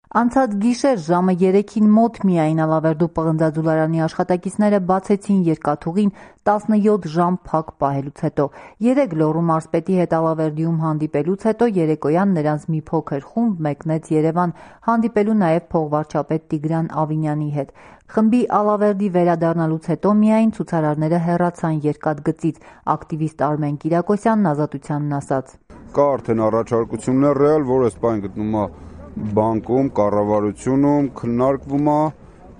Անցած գիշեր ժամը 3-ին մոտ միայն Ալավերդու պղնձաձուլարանի աշխատակիցները բացեցին երկաթուղին 17 ժամ փակ պահելուց հետո։ 3 լոռու մարզպետի հետ Ալավերդիում հանդիպելուց հետո երեկոյան նրանց մի փոքր խումբ մեկնեց Երևան, հանդիպելու նաև փողվարչապետ Տիգրան Ավինյանի հետ։ Խմբի Ալավերդի վերադառնալուց հետո միայն ցուցարարները հեռացան երկաթգծից, ակտիվիստ Արմեն Կիրակոսյանն Ազատությանն ասաց. Կա արդեն առաջարկություններ ռեալ, որ այս բանը գտնում է բանկում, կառավարությունում քննարկվում է,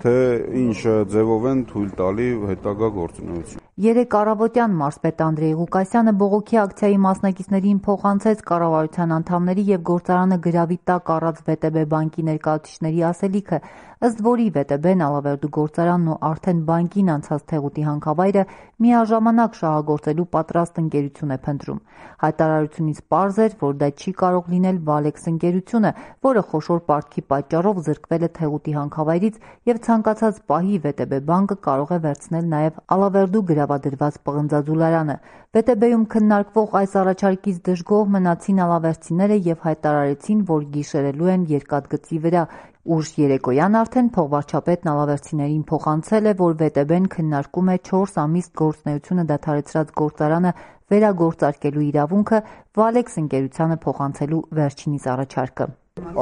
թե ինչ ձևով են թույլ տալի հետագա գործունեություն։ Երեկ առավոտյան մարզպետ Անդրեյ Ղուկասյանը բողոքի ակցիայի մասնակիցներին փոխանցեց կառավարության անդամների եւ գործարանը գրավի տակ առած ՎՏԲ բանկի ներկայացուցիչների ասելիքը, ըստ որի ՎՏԲ-ն Ալավերդու գործարանն ու արդեն բանկին անցած թեղուտի հանքավայրը միաժամանակ շահագործելու պատրաստ ընկերություն է փնտրում։ Հայտարարությունից պարզ էր, որ դա չի կարող լինել Valex ընկերությունը, որը խոշոր պարտքի պատճառով զրկվել է թեղուտի հանքավայրից եւ ցանկացած պահի ՎՏԲ բանկը կարող է վերցնել նաեւ Ալավերդու գրավադրված պղնձաձուլարանը։ ՎՏԲ-ում քննարկվող այս առաջարկից դժգոհ մնացին ալավերդցիները եւ հայտարարեցին, որ գիշերելու են երկաթգծի վրա։ Ուշ երեկոյան արդեն փողվարչապետն ալավերդցիներին փոխանցել է, որ ՎՏԲ-ն քննարկում է 4 ամիս գործունեությունը դադարեցրած գործարանը վերագործարկելու իրավունքը Valex ընկերությանը փոխանցելու վերջինիս առաջարկը։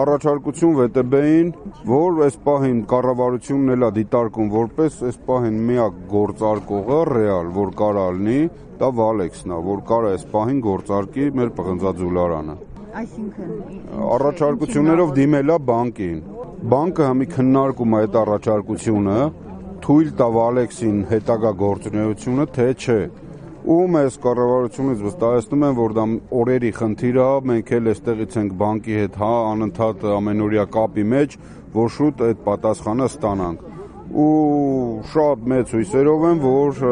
Առաջարկություն ՎՏԲ-ին, որ այս պահին կառավարությունն էլ է դիտարկում որպես այս պահին միակ գործարկողը ռեալ, որ կարա լինի, դա Valex-ն է, որ կարա այս պահին գործարկի մեր պղնձաձուլարանը։ Այսինքն առաջարկություններով դիմել է բանկին։ Բանկը համի քննարկում է այդ առաջարկությունը, թույլ տա Valex-ին հետագա գործունեությունը, թե չէ։ Ու մեզ կառավարությունից վստահեցնում են, որ դա օրերի խնդիր է, մենք էլ այստեղից ենք բանկի հետ անընդհատ ամենօրյա կապի մեջ, որ շուտ այդ պատասխանը ստանանք։ Ու շատ մեծ հույսերով եմ, որ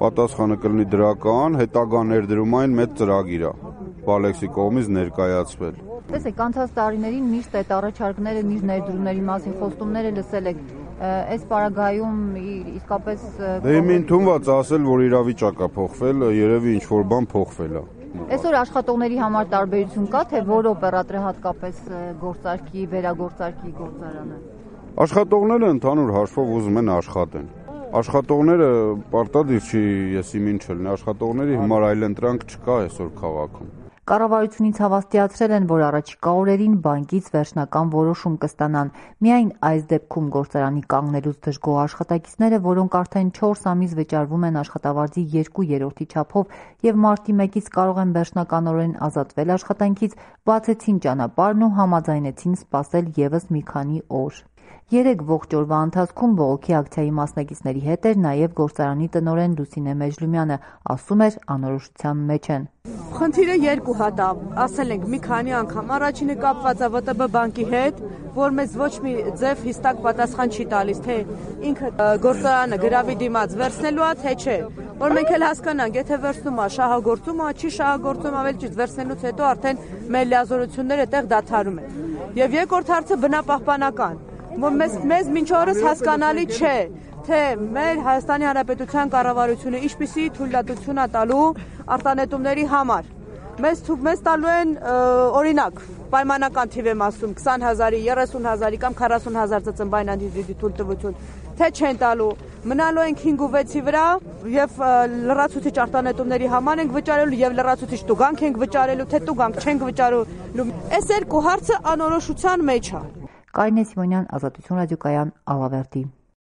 պատասխանը կլինի դրական, հետագա ներդրումային մեծ ծրագիր է Valex-ի կողմից ներկայացվել։ Տեսեք, անցած տարիներին միշտ այդ առաջարկները, միշտ ներդրումների մասին խոստումները լսել եք։ Այս պարագայում իսկապես Իմ ընդունված ասել, որ իրավիճակը փոխվել, երևի ինչ-որ բան փոխվել է։ Այսօր աշխատողների համար տարբերություն կա, թե որ օպերատորը հատկապես գործարքի, վերագործարքի գործարանը։ Աշխատողները ընդհանուր հաշվով ուզում են աշխատեն։ Աշխատողները պարտադիր չի, ես իմին չլինի, աշխատողների հիմար այլընտրանք չկա այսօր քաղաքում։ Կառավարությունից հավաստիացրել են, որ առաջիկա օրերին բանկից վերջնական որոշում կստանան։ Միայն այս դեպքում գործարանի կանգնելուց դժգոհ աշխատակիցները, որոնք արդեն 4 ամիս վճարվում են աշխատավարձի 2/3 չափով եւ մարտի 1-ից կարող են վերջնականորեն ազատվել աշխատանքից, բացեցին ճանապարհն ու համաձայնեցին սպասել եւս մի քանի օր։ 3 ողջ օրվա ընթացքում բողոքի ակցիայի մասնակիցների հետ էր նաև գործարանի տնօրեն Լուսինե Մեջլումյանը, ասում էր անորոշության մեջ են։ Խնդիրը երկու հատ է, ասել ենք մի քանի անգամ, առաջինը կապված է ՎՏԲ բանկի հետ, որ մեզ ոչ մի ձև հստակ պատասխան չի տալիս, թե ինքը գործարանը գրավի դիմաց վերցնելու է, թե չէ, որ մենք էլ հասկանանք, եթե վերցնում է, շահագործում է, չի շահագործում, ավելի ճիշտ վերցնելուց հետո արդեն մեր լիազորությունները այդտեղ դադարում են։ Եվ երկրորդ հարցը բնապահպանական, որ մեզ մինչ օրս հասկանալի չէ, թե մեր Հայաստանի Հանրապետության կառավարությունը ինչպիսի թույլատվություն է տալու արտանետումների համար։ Մեզ տալու են օրինակ, պայմանական թիվ եմ ասում, 20,000-ի, 30,000-ի կամ 40,000 ծծմբային անդիզիդի թույլտվություն, թե չեն տալու, մնալու ենք 5 ու 6-ի վրա եւ լրացուցիչ արտանետումների համար ենք վճարելու եւ լրացուցիչ տուգանք ենք վճարելու, թե տուգանք չենք վճարելու։ Այս երկու հարցը անորոշության մեջ է։ Կարինե Սիմոնյան, Ազատություն ռադիոկայան, Ալավերդի։